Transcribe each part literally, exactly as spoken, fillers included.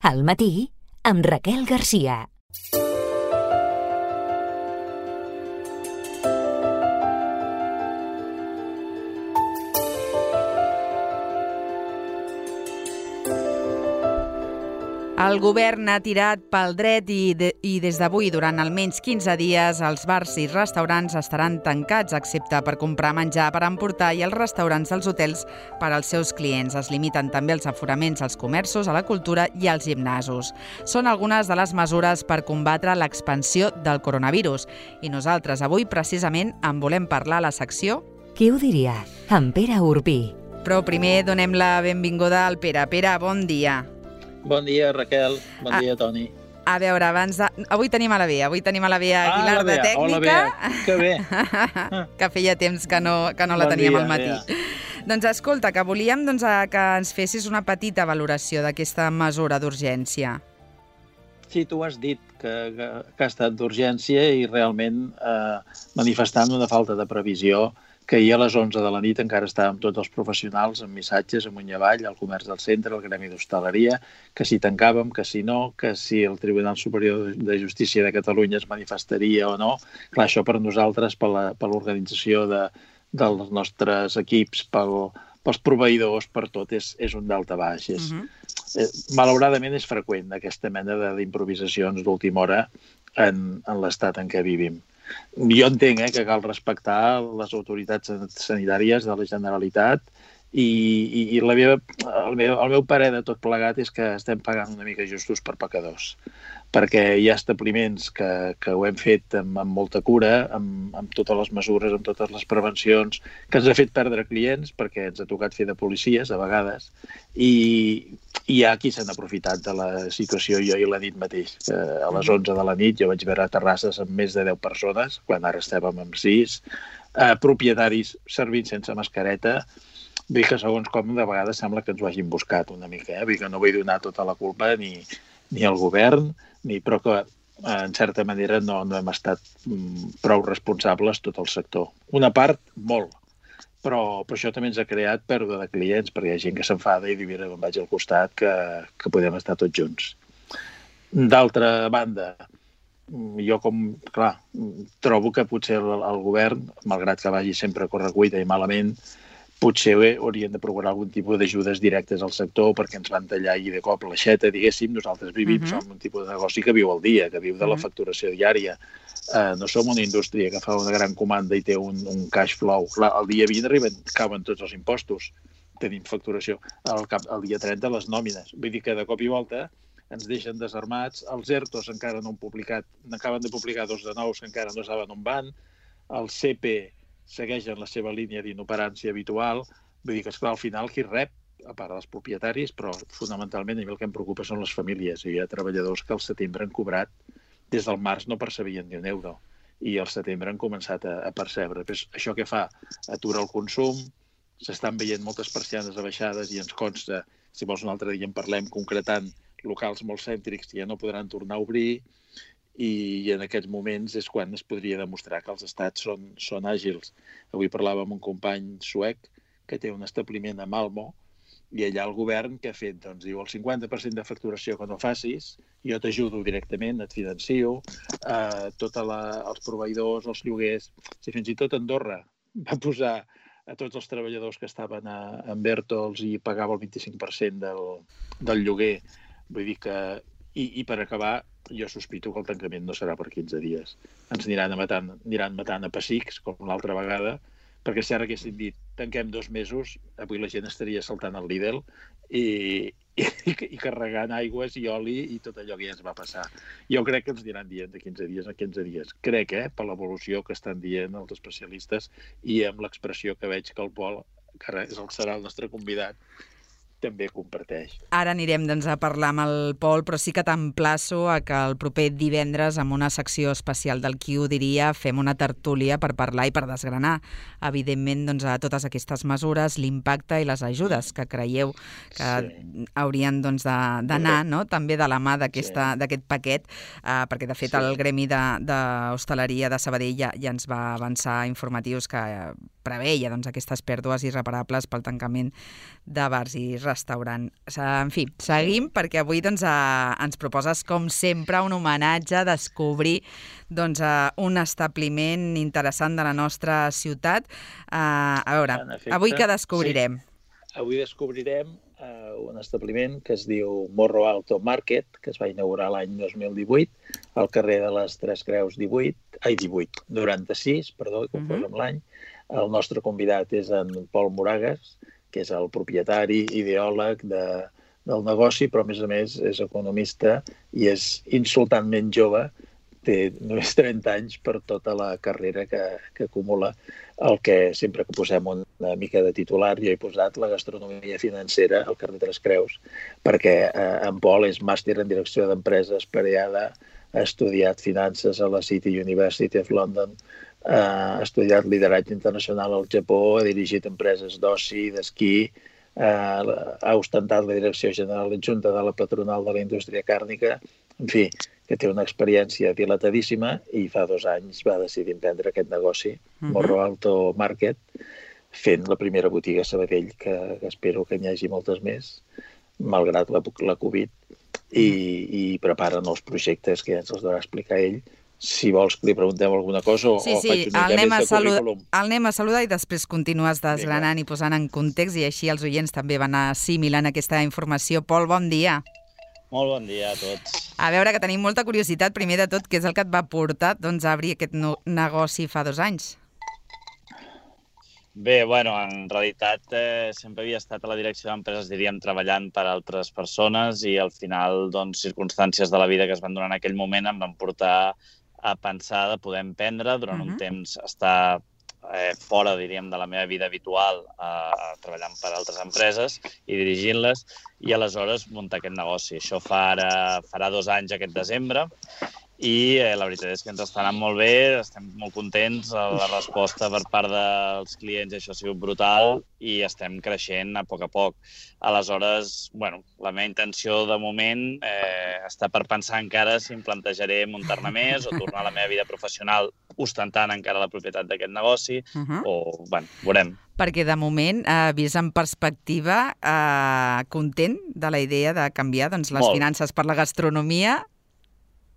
Al matí, amb Raquel Garcia. El govern ha tirat pel dret i, de, i des d'avui, durant almenys quinze dies, els bars i restaurants estaran tancats, excepte per comprar menjar per emportar, i els restaurants dels hotels per als seus clients. Es limiten també els aforaments als comerços, a la cultura i als gimnasos. Són algunes de les mesures per combatre l'expansió del coronavirus. I nosaltres avui, precisament, en volem parlar a la secció Qui ho diria? Amb Pere Urbí. Però primer donem la benvinguda al Pere. Pere, bon dia. Bon dia, Raquel. Bon ah, dia, Toni. A veure, abans de... Avui tenim a la Bea, avui tenim a la Bea Aguilar ah, la Bea. de Tècnica. Oh, la Bea. Que bé. Que feia temps que no, que no la bon teníem dia, al matí. Bea. Doncs escolta, que volíem doncs, que ens fessis una petita valoració d'aquesta mesura d'urgència. Sí, tu has dit que, que, que ha estat d'urgència i realment eh, manifestant una falta de previsió, que ahir a les onze de la nit encara estàvem tots els professionals amb missatges amunt i avall, al comerç del centre, al gremi d'hostaleria, que si tancàvem, que si no, que si el Tribunal Superior de Justícia de Catalunya es manifestaria o no. Clar, això per nosaltres, per l'organització de, dels nostres equips, pel, pels proveïdors, per tot, és, és un dalta baix. És, uh-huh. eh, malauradament és freqüent aquesta mena d'improvisacions d'última hora en, en l'estat en què vivim. Jo entenc eh, que cal respectar les autoritats sanitàries de la Generalitat i, i, i la meva, el, meu, el meu parer de tot plegat és que estem pagant una mica justos per pecadors, perquè hi ha establiments que, que ho hem fet amb, amb molta cura, amb, amb totes les mesures, amb totes les prevencions, que ens ha fet perdre clients perquè ens ha tocat fer de policies a vegades, i hi ha qui s'han aprofitat de la situació. Jo ahir l'he dit mateix, que a les onze de la nit jo vaig veure terrasses amb més de deu persones, quan ara estàvem amb sis, eh, propietaris servint sense mascareta. Vull dir que segons com de vegades sembla que ens ho hagin buscat una mica, eh? Vull dir que no vull donar tota la culpa ni, ni al govern, ni, però que en certa manera no, no hem estat mm, prou responsables tot el sector. Una part, molt, però, però això també ens ha creat pèrdua de clients, perquè hi ha gent que s'enfada i diu, mira, em vaig al costat, que, que podem estar tots junts. D'altra banda, jo com, clar, trobo que potser el, el govern, malgrat que vagi sempre a correcuita i malament, potser haurien de procurar algun tipus d'ajudes directes al sector perquè ens van tallar i de cop l'aixeta, diguéssim. Nosaltres vivim, uh-huh. som un tipus de negoci que viu al dia, que viu de la facturació diària. Uh, no som una indústria que fa una gran comanda i té un, un cash flow. Clar, el dia vint arriben, cauen tots els impostos. Tenim facturació. El, cap, el dia trenta les nòmines. Vull dir que de cop i volta ens deixen desarmats. Els ERTOs encara no han publicat, n'acaben de publicar dos de nous que encara no saben on van. El C P segueixen la seva línia d'inoperància habitual. Vull dir que, esclar, al final qui rep, a part dels propietaris, però fonamentalment a mi el que em preocupa són les famílies. Hi ha treballadors que al setembre han cobrat, des del març no percebien ni un euro, i al setembre han començat a, a percebre. Però això què fa? Atura el consum, s'estan veient moltes persianes abaixades i ens consta, si vols un altre dia en parlem, concretant locals molt cèntrics que ja no podran tornar a obrir, i en aquests moments és quan es podria demostrar que els estats són, són àgils. Avui parlava amb un company suec que té un establiment a Malmo i allà el govern què ha fet? Doncs diu el cinquanta per cent de facturació que no facis, jo t'ajudo directament, et financio, eh, tots els proveïdors, els lloguers. Si fins i tot Andorra va posar a tots els treballadors que estaven a, en Bertols i pagava el vint-i-cinc per cent del, del lloguer, vull dir que... I, i per acabar, jo sospito que el tancament no serà per quinze dies. Ens aniran matant, aniran matant a pessics, com l'altra vegada, perquè si ara haguessin dit tanquem dos mesos, avui la gent estaria saltant al Lidl i, i, i carregant aigües i oli i tot allò que ja ens va passar. Jo crec que ens aniran dient de quinze dies a quinze dies. Crec, eh, per l'evolució que estan dient els especialistes i amb l'expressió que veig que el Pol, que ara és el, serà el nostre convidat, també comparteix. Ara anirem doncs, a parlar amb el Pol, però sí que t'emplaço a que el proper divendres, amb una secció especial del Qui ho diria, fem una tertúlia per parlar i per desgranar, evidentment, doncs, a totes aquestes mesures, l'impacte i les ajudes que creieu que sí. haurien doncs, d'anar, no? també de la mà d'aquest sí. paquet, eh, perquè de fet sí. el Gremi d'Hostaleria de, de Sabadell ja, ja ens va avançar informatius que preveia doncs, aquestes pèrdues irreparables pel tancament de bars i restaurant. En fi, seguim perquè avui doncs, eh, ens proposes, com sempre, un homenatge, descobrir doncs, eh, un establiment interessant de la nostra ciutat. Eh, a veure, avui què descobrirem? Sí. Avui descobrirem eh, un establiment que es diu Morro Alto Market, que es va inaugurar l'any dos mil divuit, al carrer de les Tres Creus divuit, ai, divuit, noranta-sis, perdó, que confós amb l'any. El nostre convidat és en Pol Moragas, que és el propietari, ideòleg de, del negoci, però a més a més és economista i és insultantment jove, té només trenta anys per tota la carrera que, que acumula. El que sempre que posem una mica de titular, jo he posat la gastronomia financera al carrer Tres Creus, perquè eh, en Pol és màster en direcció d'empreses per I A D A, ha estudiat finances a la City University of London, eh, ha estudiat lideratge internacional al Japó, ha dirigit empreses d'oci, d'esquí, eh, ha ostentat la direcció general adjunta de la patronal de la indústria càrnica, en fi, que té una experiència dilatadíssima i fa dos anys va decidir emprendre aquest negoci, uh-huh. Morro Alto Market, fent la primera botiga a Sabadell, que, que espero que n'hi hagi moltes més, malgrat la, la Covid, i, i preparen els projectes que ja ens els deurà explicar ell. Si vols que li preguntem alguna cosa o, sí, sí, o faig una mica més de currículum. El anem a saludar i després continues desgranant i posant en context i així els oients també van assimilant aquesta informació. Pol, bon dia. Molt bon dia a tots. A veure, que tenim molta curiositat, primer de tot, què és el que et va portar doncs, a obrir aquest no negoci fa dos anys? Bé, bueno, en realitat eh, sempre havia estat a la direcció d'empreses, diríem, treballant per a altres persones i al final, doncs, circumstàncies de la vida que es van donar en aquell moment em van portar a pensar de poder emprendre durant uh-huh. un temps, estar eh, fora, diríem, de la meva vida habitual, eh, treballant per a altres empreses i dirigint-les, i aleshores muntar aquest negoci. Això fa ara, farà dos anys aquest desembre, i eh, la veritat és que ens està anant molt bé, estem molt contents, la resposta per part dels clients això ha sigut brutal i estem creixent a poc a poc. Aleshores, bueno, la meva intenció de moment eh, està per pensar encara si em plantejaré muntar-ne més o tornar a la meva vida professional ostentant encara la propietat d'aquest negoci, uh-huh. o, bueno, veurem. Perquè de moment, eh, vist en perspectiva, eh, content de la idea de canviar doncs, les molt. Finances per la gastronomia?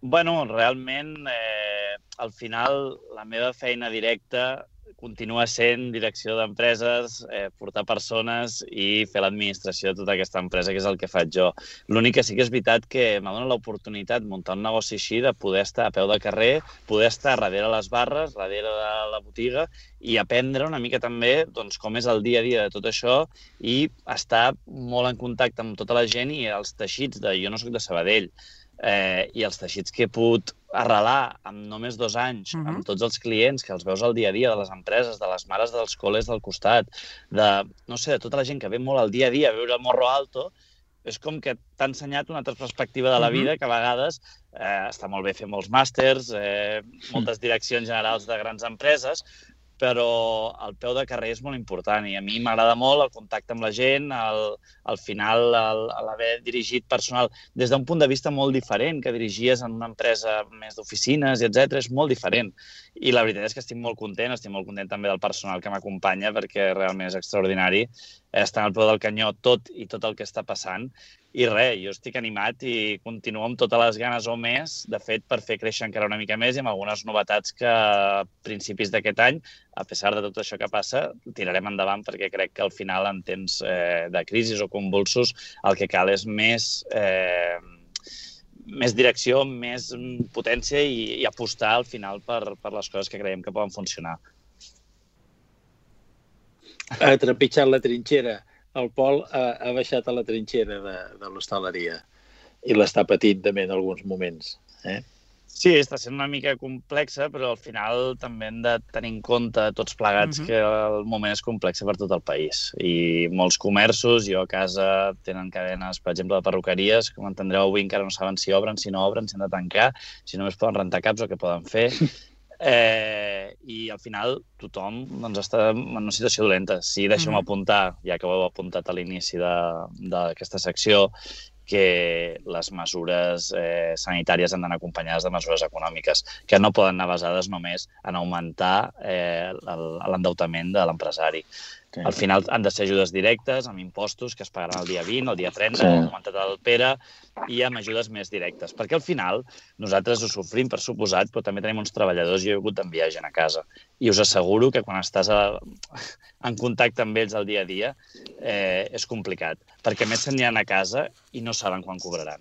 Bueno, realment, eh, al final, la meva feina directa continua sent direcció d'empreses, eh, portar persones i fer l'administració de tota aquesta empresa, que és el que faig jo. L'únic que sí que és veritat que m'ha donat l'oportunitat muntar un negoci així, de poder estar a peu de carrer, poder estar darrere les barres, darrere de la botiga i aprendre una mica també doncs, com és el dia a dia de tot això i estar molt en contacte amb tota la gent i els teixits de... Jo no soc de Sabadell, Eh, i els teixits que he pogut arrelar en només dos anys, uh-huh. amb tots els clients que els veus al dia a dia de les empreses, de les mares dels col·les del costat, de, no sé, de tota la gent que ve molt al dia a dia a veure el Morro Alto, és com que t'ha ensenyat una altra perspectiva de la vida, que a vegades eh, està molt bé fer molts màsters, eh, moltes direccions generals de grans empreses, però el peu de carrer és molt important i a mi m'agrada molt el contacte amb la gent, el, al final l'haver dirigit personal des d'un punt de vista molt diferent, que dirigies en una empresa més d'oficines, etcètera, és molt diferent. I la veritat és que estic molt content, estic molt content també del personal que m'acompanya perquè realment és extraordinari estar al peu del canyó tot i tot el que està passant. I res, jo estic animat i continuo amb totes les ganes o més, de fet, per fer créixer encara una mica més i amb algunes novetats que a principis d'aquest any, a pesar de tot això que passa, tirarem endavant perquè crec que al final, en temps eh, de crisi o convulsos, el que cal és més, eh, més direcció, més potència i, i apostar al final per, per les coses que creiem que poden funcionar. Ha trepitjat la trinxera. El Pol ha, ha baixat a la trinxera de, de l'hostaleria i l'està patint també en alguns moments. Eh? Sí, està sent una mica complexa, però al final també hem de tenir en compte tots plegats uh-huh. que el moment és complex per tot el país. I molts comerços, jo a casa tenen cadenes, per exemple, de perruqueries, com entendreu avui encara no saben si obren, si no obren, si han de tancar, si només poden rentar caps o què poden fer. Eh, I al final tothom doncs, està en una situació dolenta. Sí, deixeu-me apuntar, ja que ho heu apuntat a l'inici d'aquesta secció, que les mesures eh, sanitàries han d'anar acompanyades de mesures econòmiques, que no poden anar basades només en augmentar eh, l'endeutament de l'empresari. Sí. Al final han de ser ajudes directes, amb impostos que es pagaran el dia vint, el dia trenta, Sí. com ha comentat el Pere, i amb ajudes més directes. Perquè al final nosaltres ho sofrim, per suposat, però també tenim uns treballadors i jo he hagut d'enviar gent a casa. I us asseguro que quan estàs a, en contacte amb ells el dia a dia eh, és complicat. Perquè més se'n aniran a casa i no saben quan cobraran.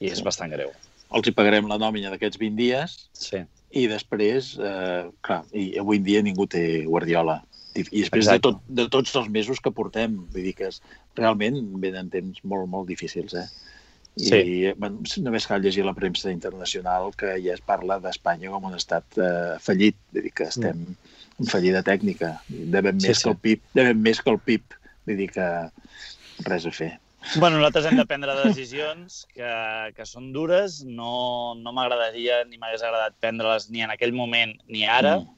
I és bastant greu. Els hi pagarem la nòmina d'aquests vint dies Sí. i després, eh, clar, i avui en dia ningú té guardiola. I després de, tot, de tots els mesos que portem, vull dir que és, realment venen temps molt, molt difícils, eh? I Sí. bueno, només cal llegir la premsa internacional que ja es parla d'Espanya com un estat eh, fallit, vull dir que estem en fallida tècnica, devem Sí, més sí. que el P I B, devem més que el P I B, vull dir que res a fer. Bueno, nosaltres hem de prendre decisions que, que són dures. No, no m'agradaria ni m'hagués agradat prendre-les ni en aquell moment ni ara, Mm.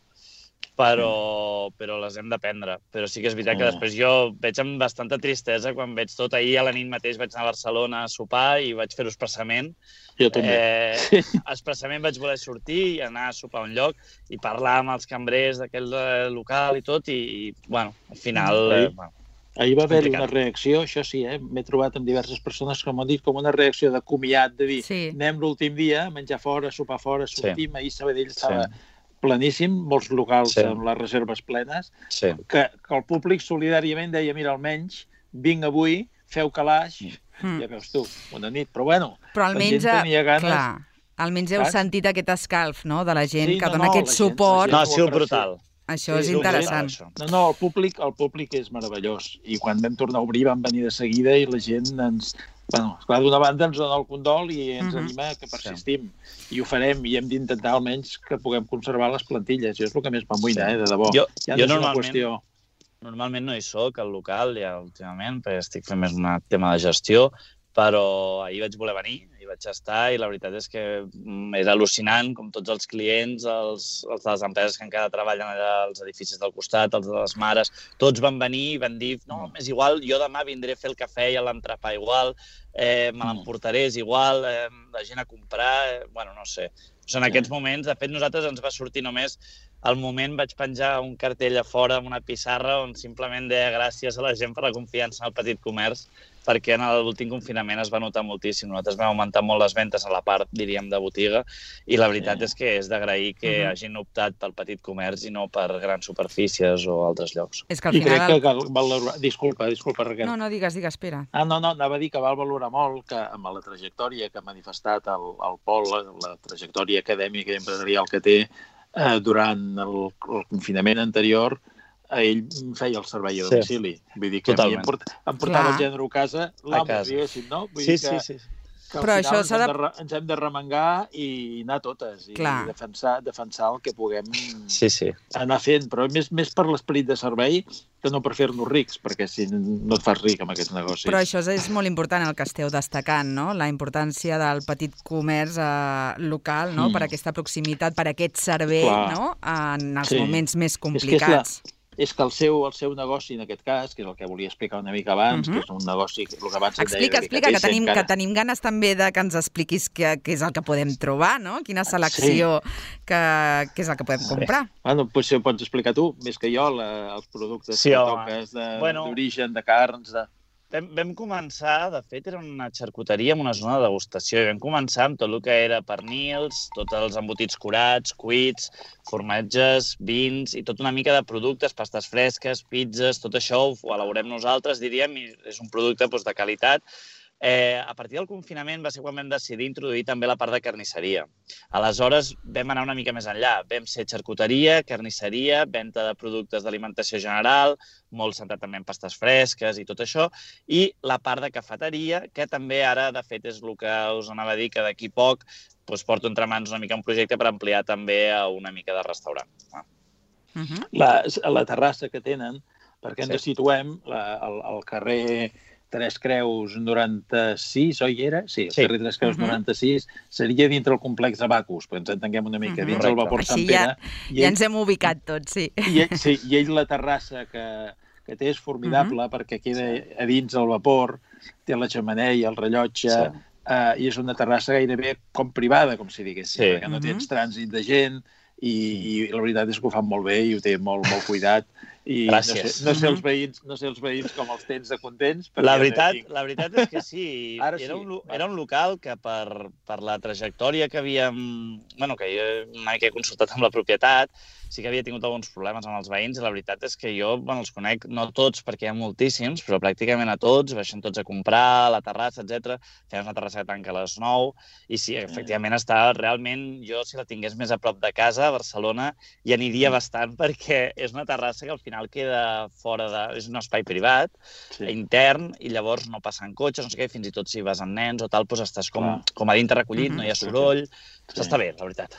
però, però les hem de prendre. Però sí que és veritat que Mm. després jo veig amb bastanta tristesa quan veig tot. Ahir a la nit mateix vaig anar a Barcelona a sopar i vaig fer-ho expressament. Jo també. Eh, expressament vaig voler sortir i anar a sopar a un lloc i parlar amb els cambrers d'aquell eh, local i tot, i, i bueno, al final... Eh, bueno, Ahir va haver-hi complicat. una reacció, això sí, eh? M'he trobat amb diverses persones que m'han dit com una reacció de comiat, de dir, Sí. anem l'últim dia a menjar fora, a sopar fora, sortim, ahir Sabadell estava Sí. planíssim, molts locals Sí. amb les reserves plenes, sí. que, que el públic solidàriament deia, mira, almenys vinc avui, feu calaix, Mm. ja veus tu, una nit, però bueno, Però la almenys, gent tenia ganes... clar, almenys heu Saps? sentit aquest escalf, no?, de la gent Sí, que no, dona no, aquest la gent- suport. la No, gent ha sigut ho aprecia. brutal. Això Sí, és és interessant. Això. No, no, el públic, el públic és meravellós. I quan vam tornar a obrir van venir de seguida i la gent ens... Bueno, esclar, d'una banda ens dona el condol i ens Mhm. anima que persistim. I ho farem i hem d'intentar almenys que puguem conservar les plantilles. Jo és el que més m'amoïna, Sí. eh, de debò. Jo- ja jo no és una normalment- qüestió... Normalment no hi soc al local ja últimament, perquè estic fent més un tema de gestió, però ahir vaig voler venir, hi vaig estar i la veritat és que mm, és al·lucinant com tots els clients, els, els de les empreses que encara treballen allà als edificis del costat, els de les mares, tots van venir i van dir no, és igual, jo demà vindré a fer el cafè i l'entrepà igual, eh, me l'emportaré, és igual, eh, la gent a comprar, eh, bueno, no sé. Són aquests moments, de fet, nosaltres ens va sortir només al moment vaig penjar un cartell a fora amb una pissarra on simplement deia gràcies a la gent per la confiança en el petit comerç, perquè en l'últim confinament es va notar moltíssim. Nosaltres vam augmentar molt les ventes a la part, diríem, de botiga, i la veritat Sí. és que és d'agrair que Mhm. hagin optat pel petit comerç i no per grans superfícies o altres llocs. És que al I crec final... que cal valorar... Disculpa, disculpa, Raquel. No, no, digues, digues, espera. Ah, no, no, anava a dir que val valorar molt que amb la trajectòria que ha manifestat el, el Pol, la, la trajectòria acadèmica i empresarial que té eh, durant el, el confinament anterior, ell feia el servei a Sí. domicili. Vull dir que a mi Totalment. em, port, em portava Clar. el gènere a casa, l'amo, A casa. diguéssim, no? Vull Sí, dir sí, que, sí. que al Però final això ens, s'ha hem de- de... re- ens hem de remengar i anar totes i Clar. defensar, defensar el que puguem Sí, sí. anar fent, però més, més per l'esperit de servei que no per fer-nos rics, perquè si no et fas ric amb aquests negocis. Però això és, és molt important el que esteu destacant, no? La importància del petit comerç eh, local, no? Mm. Per aquesta proximitat, per aquest servei, Clar. no? En els Sí. moments més És que és, la, complicats. és que el seu, el seu negoci, en aquest cas, que és el que volia explicar una mica abans, Mhm. que és un negoci, que el que abans et deia Explica, explica, que delicatessen, tenim, que encara- tenim ganes també de que ens expliquis què, què és el que podem trobar, no? Quina selecció que, què és el que podem comprar. Bueno, doncs si ho pots explicar tu, més que jo, la, els productes Sí, que home. toques de- Bueno. d'origen, de, de carns, de... Vam, vam començar, de fet, era una xarcuteria amb una zona de degustació, i vam començar amb tot el que era pernils, tots els embotits curats, cuits, formatges, vins i tot una mica de productes, pastes fresques, pizzas, tot això ho elaborem nosaltres, diríem, i és un producte doncs, de qualitat. Eh, a partir del confinament va ser quan vam decidir introduir també la part de carnisseria. Aleshores vam anar una mica més enllà. Vam ser xarcuteria, carnisseria, venda de productes d'alimentació general, molt centrat també en pastes fresques i tot això, i la part de cafeteria, que també ara, de fet, és el que us anava a dir, que d'aquí poc doncs, porto entre mans una mica un projecte per ampliar també a una mica de restaurant. Ah. Uh -huh. La, la terrassa que tenen, perquè ens Sí. situem la, al, al carrer Tres Creus noranta-sis, oi era? Sí, el Sí. carrer Tres Creus Uh -huh. noranta-sis seria dintre el complex de Bacus, però ens entenguem una mica, Uh -huh. dins el Correcte. vapor Sant Així Pere. ja, i ja ell- ens hem ubicat tots, sí. I ell, sí, i ell la terrassa que, que té és formidable uh -huh. perquè queda a dins el vapor, té la xemeneia i el rellotge, Sí. eh, i és una terrassa gairebé com privada, com si diguéssim, Sí. perquè no Uh -huh. tens trànsit de gent i, i la veritat és que ho fan molt bé i ho té molt, molt cuidat I Gràcies. No sé, no, sé els veïns, no sé els veïns com els tens de contents. La veritat, la veritat és que sí. Ara era, sí. un, era un local que per, per la trajectòria que havíem... Bueno, que jo una mica he consultat amb la propietat, sí que havia tingut alguns problemes amb els veïns i la veritat és que jo bueno, els conec, no tots perquè hi ha moltíssims, però pràcticament a tots, baixen tots a comprar, a la terrassa, etcètera. Fem una terrassa que tanca a les nou i sí, efectivament està realment... Jo, si la tingués més a prop de casa, a Barcelona, hi aniria bastant perquè és una terrassa que al final queda fora de... És un espai privat, sí. intern, i llavors no passen cotxes, no sé què, fins i tot si vas amb nens o tal, doncs estàs com, com a dintre recollit, mm-hmm. no hi ha soroll... Sí. Està bé, la veritat.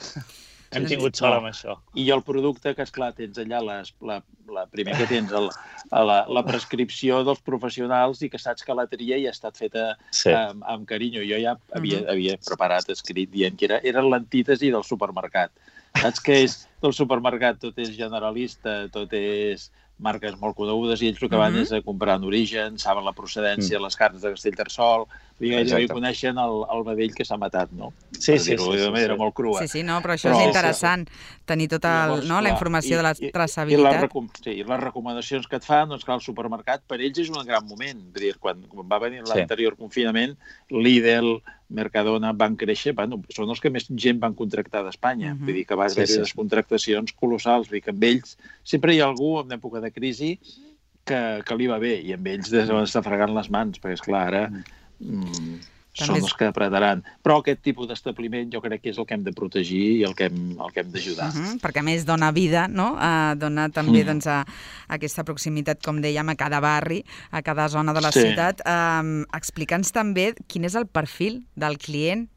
Hem sí, tingut sort no. amb això. I el producte que, esclar, tens allà, les, la, la primer que tens el, la, la prescripció dels professionals i que saps que la tria ja ha estat feta sí. amb, amb carinyo. Jo ja havia, uh-huh. havia preparat, escrit, dient que era, era l'antítesi del supermercat. Saps que és del supermercat? Tot és generalista, tot és marques molt conegudes i ells el que van uh-huh. és a comprar en origen, saben la procedència, uh-huh. les carns de Castellterçol, i coneixen el, el vedell que s'ha matat, no? Sí, sí, sí, sí, de manera sí. molt crua. Sí, sí, no, però això però, és interessant, sí. tenir tota el, llavors, no, la informació i, de la traçabilitat. I, i, sí, I les recomanacions que et fan, doncs clar, el supermercat per ells és un gran moment. Vull dir, quan, quan va venir l'anterior sí. confinament, Lidl, Mercadona van créixer, bueno, són els que més gent van contractar d'Espanya. Uh-huh. Vull dir que va haver sí, sí. unes contractacions colossals. Vull dir que amb ells sempre hi ha algú en època de crisi que, que li va bé i amb ells s'està fregant les mans, perquè, esclar, ara mm, són els que apretaran. Però aquest tipus d'establiment jo crec que és el que hem de protegir i el que hem, el que hem d'ajudar. Uh-huh, perquè a més dona vida, no? Uh, dona també mm. doncs, a, a aquesta proximitat, com dèiem, a cada barri, a cada zona de la sí. ciutat. Um, Explica'ns també quin és el perfil del client.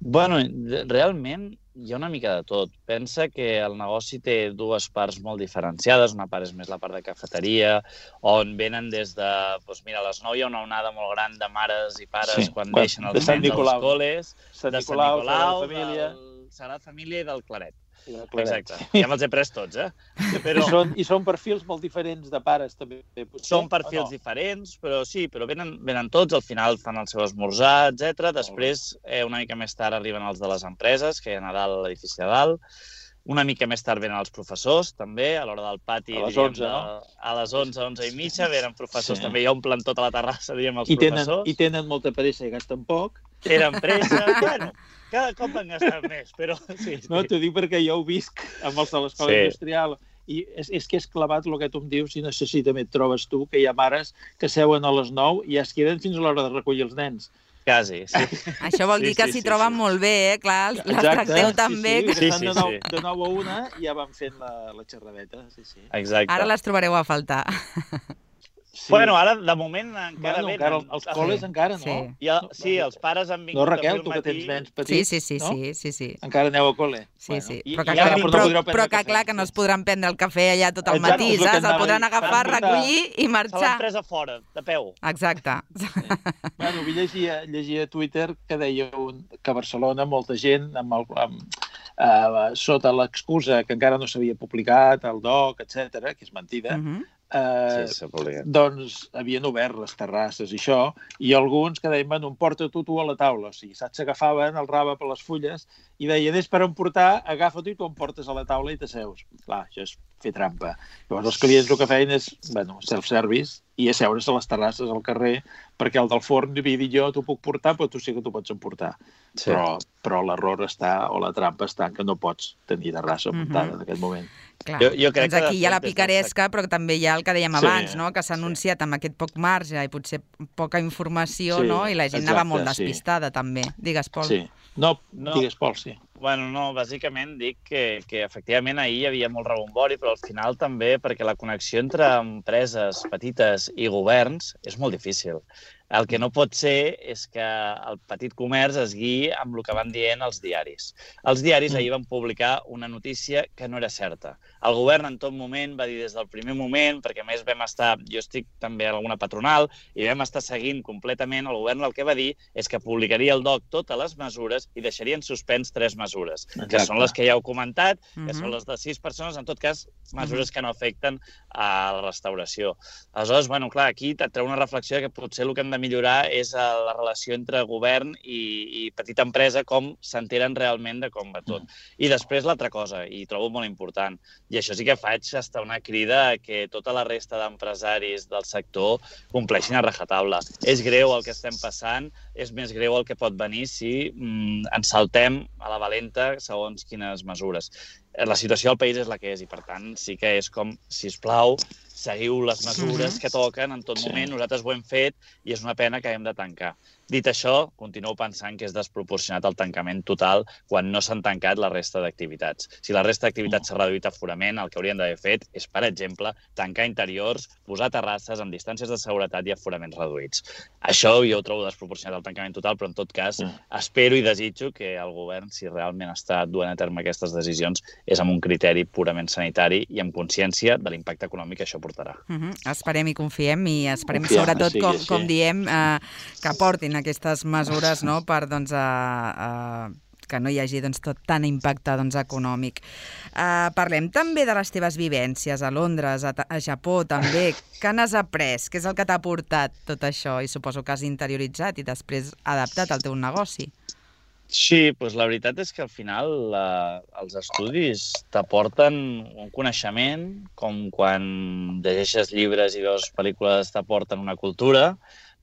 Bueno, realment hi ha una mica de tot. Pensa que el negoci té dues parts molt diferenciades. Una part és més la part de cafeteria, on venen des de... Doncs mira, a les nou hi ha una onada molt gran de mares i pares sí. quan, quan deixen els nens als coles. Sant de Sant Nicolau, Nicolau, Sagrada Família. del Sagrada Família i del Claret. Exacte. Ja me'ls he pres tots, eh? Però... I, són, I són perfils molt diferents de pares, també. Potser, són perfils no? diferents, però sí, però venen, venen tots, al final fan el seu esmorzar, etcètera. Després, eh, una mica més tard, arriben els de les empreses, que hi ha a dalt, a l'edifici de dalt. Una mica més tard venen els professors, també, a l'hora del pati. A les onze, de, no? A les onze, onze i mitja, venen professors sí. també, i omplen tota la terrassa, diguem, els I tenen, professors. I tenen molta pressa i gasten poc. Tenen pressa, bueno, cada cop han gastat més, però sí. sí. No, t'ho dic perquè jo ho visc amb els de l'escola sí. industrial i és, és que és clavat el que tu em dius i no sé si també et trobes tu, que hi ha mares que seuen a les nou i es queden fins a l'hora de recollir els nens. Quasi, sí. Això vol dir sí, que s'hi sí, troben sí. molt bé, eh? Clar, les tracteu tan bé. Sí, sí, sí, de, nou, de nou a una ja van fent la, la xerradeta. Sí, sí. Exacte. Ara les trobareu a faltar. Sí. Bueno, ara, de moment, encara bueno, venen. Encara, els coles sí. encara, no? Sí. I el, sí, els pares han vingut no, Raquel, avui al tu matí. que tens nens petits, sí, sí, sí, no? sí, sí, sí. Encara aneu a col·le? Sí, bueno. sí. I, però que, i clar, ara, però, no però que clar que no es podran prendre el cafè allà tot el matí, Exacte, saps? El podran agafar, recollir i marxar. Se l'han pres a fora, de peu. Exacte. Sí. Bueno, vull llegia, llegia a Twitter que deia un, que a Barcelona molta gent, amb el, amb, uh, sota l'excusa que encara no s'havia publicat, el doc, etcètera, que és mentida, uh-huh. Eh, sí, doncs havien obert les terrasses i això, i alguns que deien, bueno, emporta tu tu a la taula, o sigui, saps, s'agafaven el rave per les fulles i deien, és per emportar, agafa-t'ho i tu em portes a la taula i t'asseus. Clar, això és fer trampa. Llavors els clients el que feien és, bueno, self-service i asseure's a les terrasses al carrer perquè el del forn havia dit jo t'ho puc portar, però tu sí que t'ho pots emportar. Sí. Però, però l'error està, o la trampa està en que no pots tenir terrassa muntada mm-hmm. en aquest moment. Clar, jo, jo crec doncs aquí hi ha la picaresca, però també hi ha el que dèiem sí, abans, no? Que s'ha anunciat sí. amb aquest poc marge i potser poca informació, sí, no? I la gent exacte, anava molt despistada, sí. també. Digues, Pol. Sí. No, no, digues, Pol, sí. Bueno, no, bàsicament dic que, que efectivament ahir hi havia molt rebombori, però al final també perquè la connexió entre empreses petites i governs és molt difícil. El que no pot ser és que el petit comerç es guiï amb el que van dient els diaris. Els diaris ahir van publicar una notícia que no era certa. El govern en tot moment va dir des del primer moment, perquè a més vam estar, jo estic també a alguna patronal, i vam estar seguint completament, el govern el que va dir és que publicaria el D O C totes les mesures i deixarien suspens tres mesures, Exacte. que són les que ja heu comentat, que uh-huh. són les de sis persones, en tot cas, mesures uh-huh. que no afecten a la restauració. Aleshores, bueno, clar, aquí et treu una reflexió que potser el que hem de de millorar és la relació entre govern i, i petita empresa, com s'enteren realment de com va tot. I després l'altra cosa, i trobo molt important, i això sí que faig estar una crida a que tota la resta d'empresaris del sector compleixin a rajatabla. És greu el que estem passant, és més greu el que pot venir si mm, ens saltem a la valenta segons quines mesures. La situació del país és la que és i, per tant, sí que és com, sisplau, seguiu les mesures uh-huh. que toquen en tot moment. Sí. Nosaltres ho hem fet i és una pena que haguem de tancar. Dit això, continuo pensant que és desproporcionat el tancament total quan no s'han tancat la resta d'activitats. Si la resta d'activitats s'ha reduït aforament, el que haurien d'haver fet és, per exemple, tancar interiors, posar terrasses amb distàncies de seguretat i aforaments reduïts. Això jo ho trobo desproporcionat el tancament total, però en tot cas uh-huh. espero i desitjo que el govern, si realment està duent a terme aquestes decisions, és amb un criteri purament sanitari i amb consciència de l'impacte econòmic que això portarà. Uh-huh. Esperem i confiem i esperem confiem, sobretot, sí, com, sí. com diem, eh, que portin aquestes mesures, no?, per doncs, a, a, que no hi hagi doncs, tot tant impacte doncs, econòmic. Uh, parlem també de les teves vivències a Londres, a, a Japó també. Què n'has après? Què és el que t'ha portat tot això? I suposo que has interioritzat i després adaptat al teu negoci. Sí, doncs la veritat és que al final la, els estudis t'aporten un coneixement, com quan llegeixes llibres i veus pel·lícules t'aporten una cultura,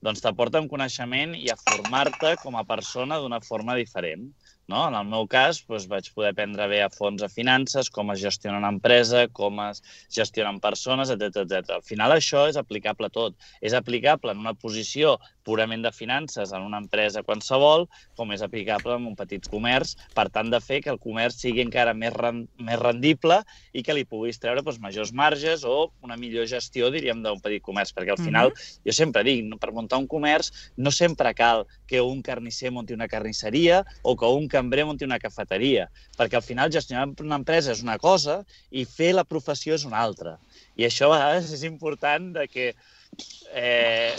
doncs t'aporten coneixement i a formar-te com a persona d'una forma diferent. No? En el meu cas, doncs, vaig poder aprendre bé a fons a finances, com es gestiona una empresa, com es gestionen persones, etcètera etcètera. Al final això és aplicable a tot. És aplicable en una posició purament de finances en una empresa qualsevol, com és aplicable en un petit comerç, per tant de fer que el comerç sigui encara més, rend més rendible i que li puguis treure doncs, majors marges o una millor gestió, diríem, d'un petit comerç. Perquè al final, mm-hmm. jo sempre dic, per muntar un comerç no sempre cal que un carnisser munti una carnisseria o que un cambrer munti una cafeteria, perquè al final gestionar una empresa és una cosa i fer la professió és una altra. I això a vegades és important de que Eh,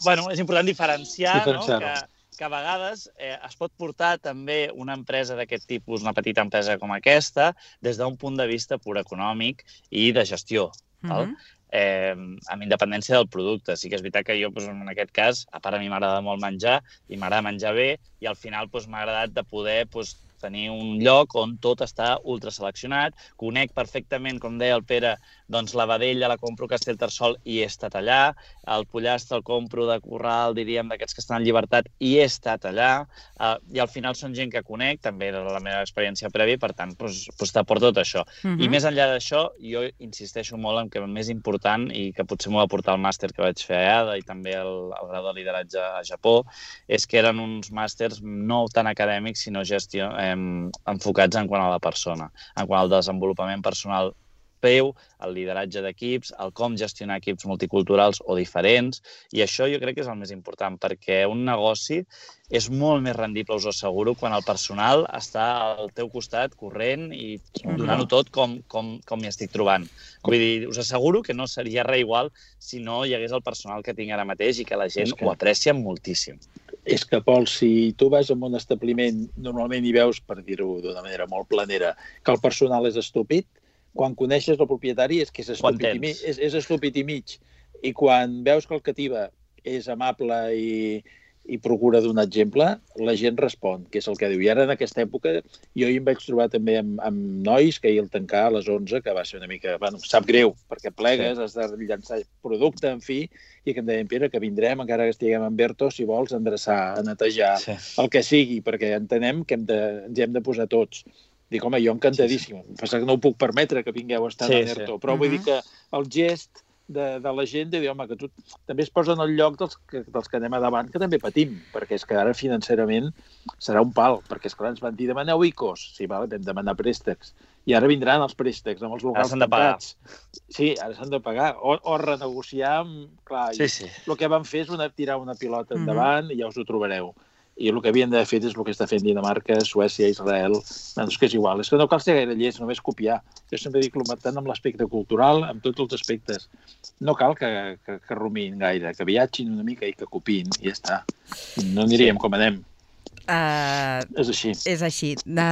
bueno, és important diferenciar, no? que, que a vegades eh, es pot portar també una empresa d'aquest tipus, una petita empresa com aquesta, des d'un punt de vista pur econòmic i de gestió. Val? Mm-hmm. eh, amb independència del producte. Sí que és veritat que jo, doncs, en aquest cas, a part a mi m'agrada molt menjar i m'agrada menjar bé i al final doncs, m'ha agradat de poder doncs, tenir un lloc on tot està ultraseleccionat, conec perfectament, com deia el Pere, doncs la vedella la compro a Castellterçol i he estat allà, el pollastre el compro de corral, diríem, d'aquests que estan en llibertat i he estat allà, uh, i al final són gent que conec, també de la meva experiència prèvia, per tant, doncs, doncs t'aporta tot això. Uh-huh. I més enllà d'això, jo insisteixo molt en que el més important, i que potser m'ho va portar el màster que vaig fer a ADA i també el, el grau de lideratge a Japó, és que eren uns màsters no tan acadèmics, sinó gestió, eh, enfocats en quant a la persona, en quant al desenvolupament personal peu, el lideratge d'equips, el com gestionar equips multiculturals o diferents, i això jo crec que és el més important, perquè un negoci és molt més rendible, us ho asseguro, quan el personal està al teu costat corrent i donant-ho tot com, com, com m'hi estic trobant. Vull dir, us asseguro que no seria res igual si no hi hagués el personal que tinc ara mateix i que la gent que... ho aprecia moltíssim. És que, Pol, si tu vas a un establiment, normalment hi veus, per dir-ho d'una manera molt planera, que el personal és estúpid, quan coneixes el propietari és que és estúpid, i, mi, és, és estúpid i mig. I quan veus que el cativa és amable i, i procura donar exemple, la gent respon, que és el que diu. I ara, en aquesta època, jo hi em vaig trobar també amb, amb nois que ahir el tancar a les onze, que va ser una mica... Bueno, sap greu, perquè plegues, sí. Has de llançar producte, en fi, i que em deien, Pere, que vindrem, encara que estiguem en Berto, si vols, a endreçar, a netejar, sí. El que sigui, perquè entenem que hem de, ens hi hem de posar tots. Dic, home, jo encantadíssim. Sí, sí. Passa que no ho puc permetre que vingueu a estar sí, a Berto, sí. Però uh-huh. vull dir que el gest de, de la gent de dir, home, que tu també es posa en el lloc dels que, dels que anem a davant, que també patim, perquè és que ara financerament serà un pal, perquè esclar, ens van dir, demaneu I C Os. Sí, vale, vam demanar préstecs. I ara vindran els préstecs amb els locals tancats. Sí, ara s'han de pagar. O, o renegociar amb... Clar, sí, sí. El que van fer és una, tirar una pilota endavant uh-huh. i ja us ho trobareu. I el que havien d'haver fet és el que està fent Dinamarca, Suècia, Israel... Doncs que és igual. És que no cal ser gaire llest, només copiar. Jo sempre dic tant amb l'aspecte cultural, amb tots els aspectes. No cal que, que, que rumiïn gaire, que viatgin una mica i que copiïn, i ja està. No aniríem sí. com anem. Uh, és així. És així, de,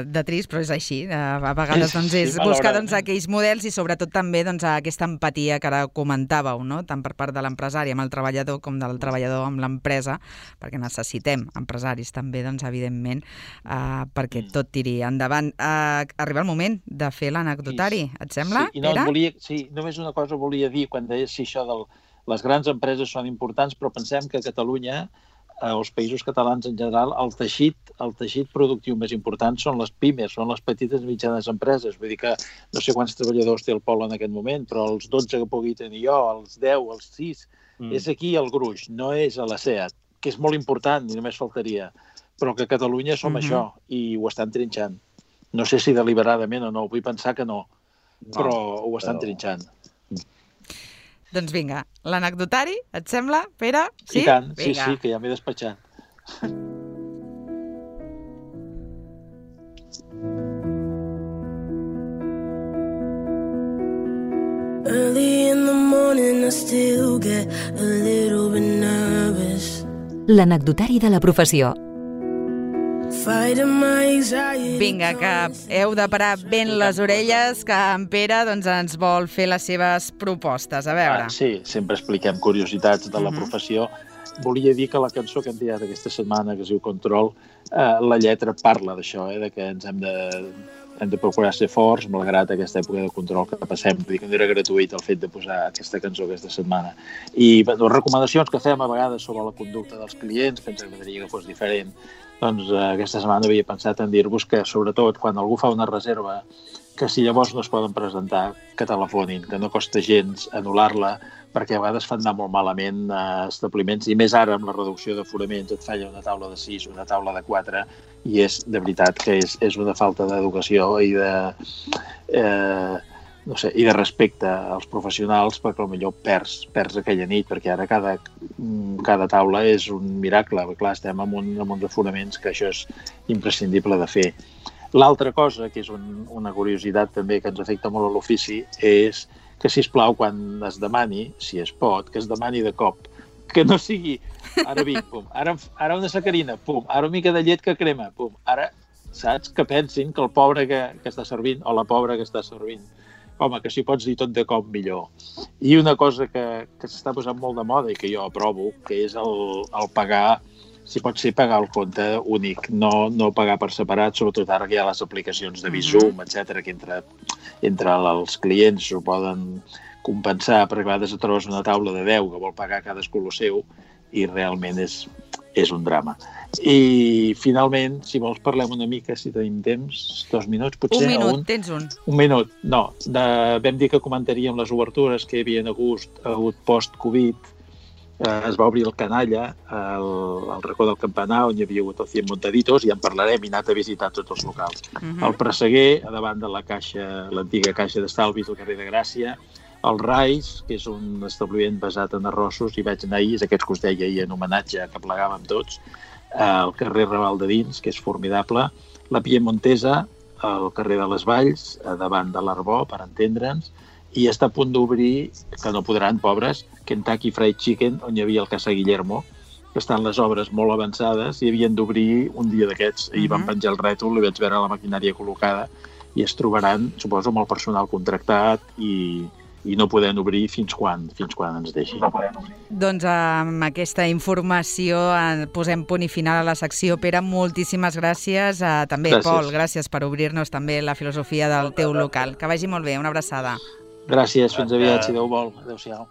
de trist, però és així. Uh, a vegades doncs, és Sí, buscar doncs, aquells models i sobretot també doncs, aquesta empatia que ara comentàveu, no? Tant per part de l'empresari amb el treballador com del treballador amb l'empresa, perquè necessitem empresaris també, doncs, evidentment, uh, perquè tot tiri endavant. Uh, arriba el moment de fer l'anecdotari, et sembla, sí, i no, Pere? volia, sí, només una cosa volia dir quan deies si això de les grans empreses són importants, però pensem que a Catalunya, als països catalans en general, el teixit, el teixit productiu més important són les pimes, són les petites i mitjanes empreses. Vull dir que no sé quants treballadors té el Pol en aquest moment, però els dotze que pugui tenir jo, els deu, els sis, mm. és aquí el gruix, no és a la SEAT, que és molt important i només faltaria, però que a Catalunya som mm-hmm. això i ho estan trinxant. No sé si deliberadament o no, vull pensar que no, no però ho estan però... trinxant. Doncs vinga, l'anecdotari, et sembla, Pere? Sí? I tant, vinga. sí, sí, que ja m'he despatxat. Early in the morning I still get a little bit nervous. L'anecdotari de la professió. Vinga, que heu de parar ben les orelles, que en Pere doncs, ens vol fer les seves propostes. A veure. Ah, sí, sempre expliquem curiositats de la uh-huh. professió. Volia dir que la cançó que hem triat aquesta setmana, que es diu Control, eh, la lletra parla d'això, eh, de que ens hem de, hem de procurar ser forts, malgrat aquesta època de control que passem. Vull dir que no era gratuït el fet de posar aquesta cançó aquesta setmana. I les recomanacions que fem a vegades sobre la conducta dels clients, que ens agradaria que fos diferent, doncs eh, aquesta setmana havia pensat en dir-vos que, sobretot, quan algú fa una reserva, que si llavors no es poden presentar, que telefonin, que no costa gens anul·lar-la, perquè a vegades fan anar molt malament a establiments, i més ara amb la reducció d'aforaments et falla una taula de sis, una taula de quatre, i és, de veritat, que és, és una falta d'educació i de... Eh, no sé, i de respecte als professionals, perquè potser perds, perds aquella nit, perquè ara cada, cada taula és un miracle. Clar, estem amb, un, amb uns aforaments que això és imprescindible de fer. L'altra cosa, que és un, una curiositat també que ens afecta molt a l'ofici, és que, sisplau, quan es demani, si es pot, que es demani de cop. Que no sigui, ara vinc, pum, ara, ara una sacarina, pum, ara una mica de llet que crema, pum, ara, saps? Que pensin que el pobre que, que està servint, o la pobra que està servint, home, que si pots dir tot de cop millor. I una cosa que, que s'està posant molt de moda i que jo aprovo, que és el, el pagar, si pot ser pagar el compte únic, no, no pagar per separat, sobretot ara que hi ha les aplicacions de Bizum, etcètera, que entre, entre els clients ho poden compensar, perquè a vegades et trobes una taula de deu que vol pagar cadascú el seu i realment és, és un drama. I finalment, si vols parlem una mica, si tenim temps, dos minuts potser. Un minut, un, tens un. Un minut, no. De, vam dir que comentaríem les obertures que hi havia hagut, hagut post-Covid. Eh, es va obrir el Canalla, el, el racó del Campanar, on hi havia hagut el Cien Montaditos, i en parlarem, i anat a visitar tots els locals. Uh-huh. El Presseguer, a davant de la caixa, l'antiga caixa d'estalvis del carrer de Gràcia, el Rais, que és un establiment basat en arrossos, i vaig anar ahir, és aquests que us deia ahir en homenatge que plegàvem tots, al carrer Raval de Dins, que és formidable, la Piemontesa, al carrer de les Valls, davant de l'Arbó, per entendre'ns, i està a punt d'obrir, que no podran, pobres, Kentucky Fried Chicken, on hi havia el Casa Guillermo, que estan les obres molt avançades i havien d'obrir un dia d'aquests. Ahir uh-huh. van penjar el rètol, i vaig veure la maquinària col·locada, i es trobaran, suposo, amb el personal contractat i... i no podem obrir fins quan, fins quan ens deixi. No doncs amb aquesta informació posem punt i final a la secció. Pere, moltíssimes gràcies. També, gràcies. Pol, gràcies per obrir-nos també la filosofia del teu local. Que vagi molt bé, una abraçada. Gràcies, fins aviat, si Déu vol. Adéu-siau.